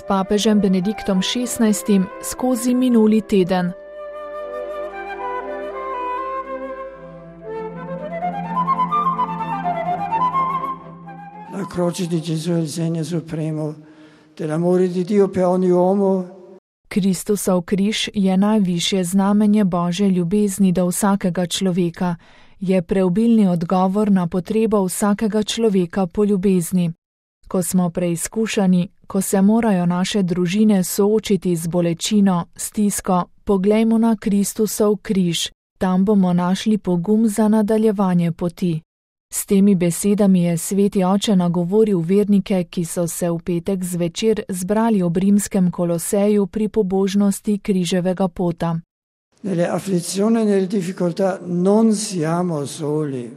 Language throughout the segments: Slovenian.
s papežem Benediktom XVI skozi minuli teden. La croce di Gesù è il segno supremo dell'amore di Dio per ogni uomo. Kristusov križ je najvišje znamenje Božje ljubezni do vsakega človeka, je preobilni odgovor na potrebo vsakega človeka po ljubezni. Ko smo preizkušani, ko se morajo naše družine soočiti z bolečino, stisko, poglejmo na Kristusov križ, tam bomo našli pogum za nadaljevanje poti. S temi besedami je sveti oče nagovoril vernike, ki so se v petek zvečer zbrali ob rimskem Koloseju pri pobožnosti križevega pota. Nelle afflizioni e nelle difficoltà non siamo soli.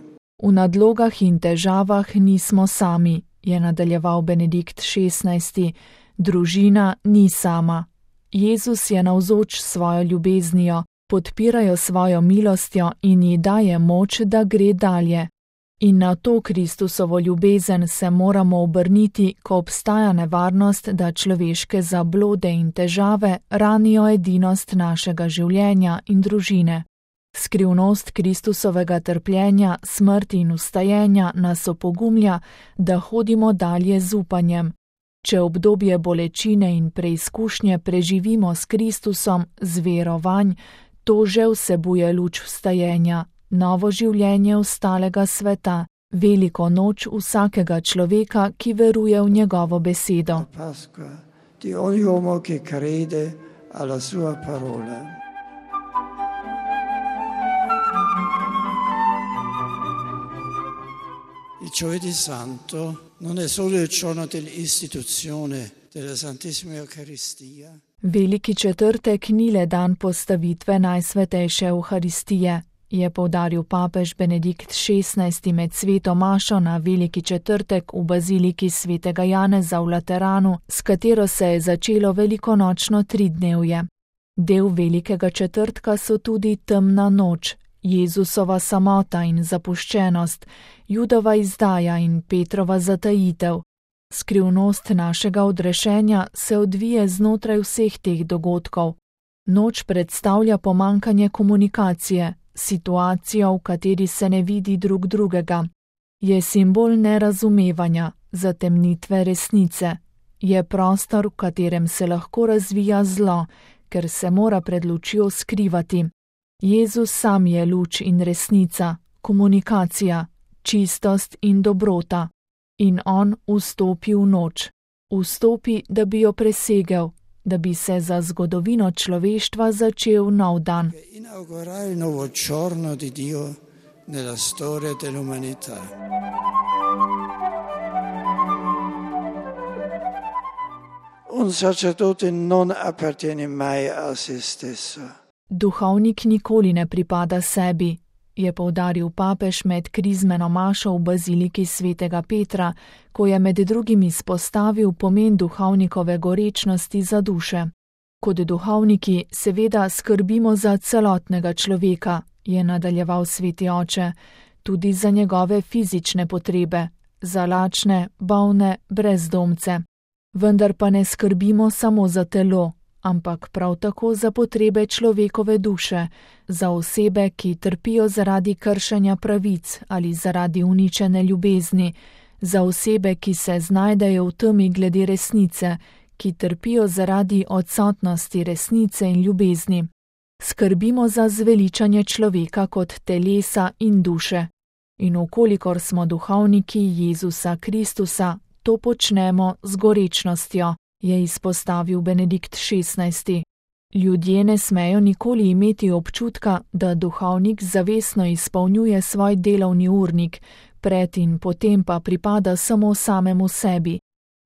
V nadlogah in težavah nismo sami, je nadaljeval Benedikt XVI. Družina ni sama. Jezus je navzoč s svojo ljubeznijo, podpirajo svojo milostjo in ji daje moč, da gre dalje. In na to Kristusovo ljubezen se moramo obrniti, ko obstaja nevarnost, da človeške zablode in težave ranijo edinost našega življenja in družine. Skrivnost Kristusovega trpljenja, smrti in vstajenja nas opogumlja, da hodimo dalje z upanjem. Če obdobje bolečine in preizkušnje preživimo s Kristusom, z vero vanj, to že vsebuje luč vstajenja, novo življenje ostalega sveta, veliko noč vsakega človeka, ki veruje v njegovo besedo. Pasqua di ogni uomo che crede alla sua parola. Il Giovedì Santo non è solo il giorno dell'istituzione della Santissima Eucaristia. Veliki četrtek ni le dan postavitve Najsvetejše Euharistije, je poudaril papež Benedikt XVI med sveto mašo na Veliki četrtek v baziliki svetega Janeza v Lateranu, s katero se je začelo velikonočno tridnevje. Del Velikega četrtka so tudi temna noč, Jezusova samota in zapuščenost, Judova izdaja in Petrova zatajitev. Skrivnost našega odrešenja se odvije znotraj vseh teh dogodkov. Noč predstavlja pomanjkanje komunikacije, situacijo, v kateri se ne vidi drug drugega. Je simbol nerazumevanja, zatemnitve resnice. Je prostor, v katerem se lahko razvija zlo, ker se mora pred lučjo skrivati. Jezus sam je luč in resnica, komunikacija, čistost in dobrota. In on vstopi v noč. Vstopi, da bi jo presegel, da bi se za zgodovino človeštva začel nov dan. Inaugurare il nuovo giorno di Dio nella storia dell'umanità. Un sacerdote non appartiene mai a se stesso. Duhovnik nikoli ne pripada sebi, je poudaril papež med krizmeno mašo v baziliki svetega Petra, ko je med drugim izpostavil pomen duhovnikove gorečnosti za duše. Kot duhovniki seveda skrbimo za celotnega človeka, je nadaljeval sveti oče, tudi za njegove fizične potrebe, za lačne, bolne, brezdomce. Vendar pa ne skrbimo samo za telo, ampak prav tako za potrebe človekove duše, za osebe, ki trpijo zaradi kršenja pravic ali zaradi uničene ljubezni, za osebe, ki se znajdejo v temi glede resnice, ki trpijo zaradi odsotnosti resnice in ljubezni. Skrbimo za zveličanje človeka kot telesa in duše. In vkolikor smo duhovniki Jezusa Kristusa, to počnemo z gorečnostjo, je izpostavil Benedikt XVI. Ljudje ne smejo nikoli imeti občutka, da duhovnik zavestno izpolnjuje svoj delovni urnik, pred in potem pa pripada samo samemu sebi.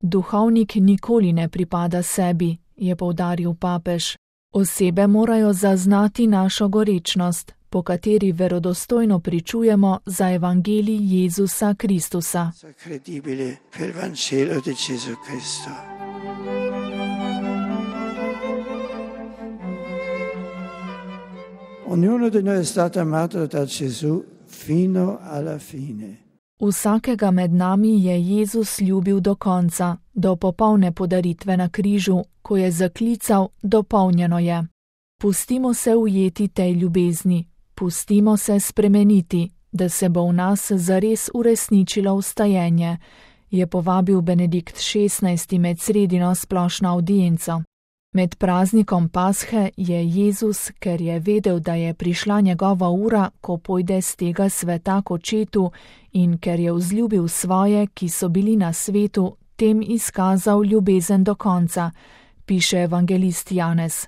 Duhovnik nikoli ne pripada sebi, je poudaril papež. Osebe morajo zaznati našo gorečnost, po kateri verodostojno pričujemo za evangelij Jezusa Kristusa. Ognuno di noi è stato amato da Gesù fino alla fine. Vsakega med nami je Jezus ljubil do konca, do popolne podaritve na križu, ko je zaklical: dopolnjeno je. Pustimo se ujeti tej ljubezni, pustimo se spremeniti, da se bo v nas zares uresničilo vstajenje, je povabil Benedikt XVI med sredino splošno avdienco. Med praznikom Pashe je Jezus, ker je vedel, da je prišla njegova ura, ko pojde z tega sveta k očetu, in ker je vzljubil svoje, ki so bili na svetu, tem izkazal ljubezen do konca, piše evangelist Janez.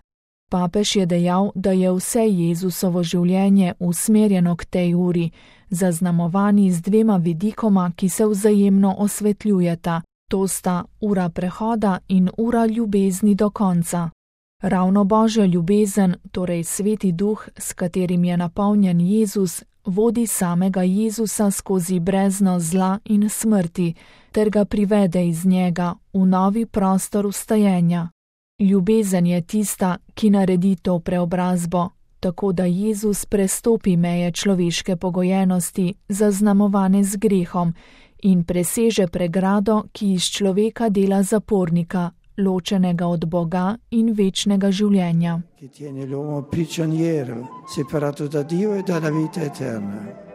Papež je dejal, da je vse Jezusovo življenje usmerjeno k tej uri, zaznamovani z dvema vidikoma, ki se vzajemno osvetljujeta. To sta ura prehoda in ura ljubezni do konca. Ravno Božja ljubezen, torej Sveti Duh, s katerim je napolnjen Jezus, vodi samega Jezusa skozi brezno zla in smrti, ter ga privede iz njega v novi prostor vstajenja. Ljubezen je tista, ki naredi to preobrazbo, tako da Jezus prestopi meje človeške pogojenosti, zaznamovane z grehom, in preseže pregrado, ki iz človeka dela zapornika, ločenega od Boga in večnega življenja. Ki tiene l'uomo prigioniero, separato da Dio e dalla vita eterna.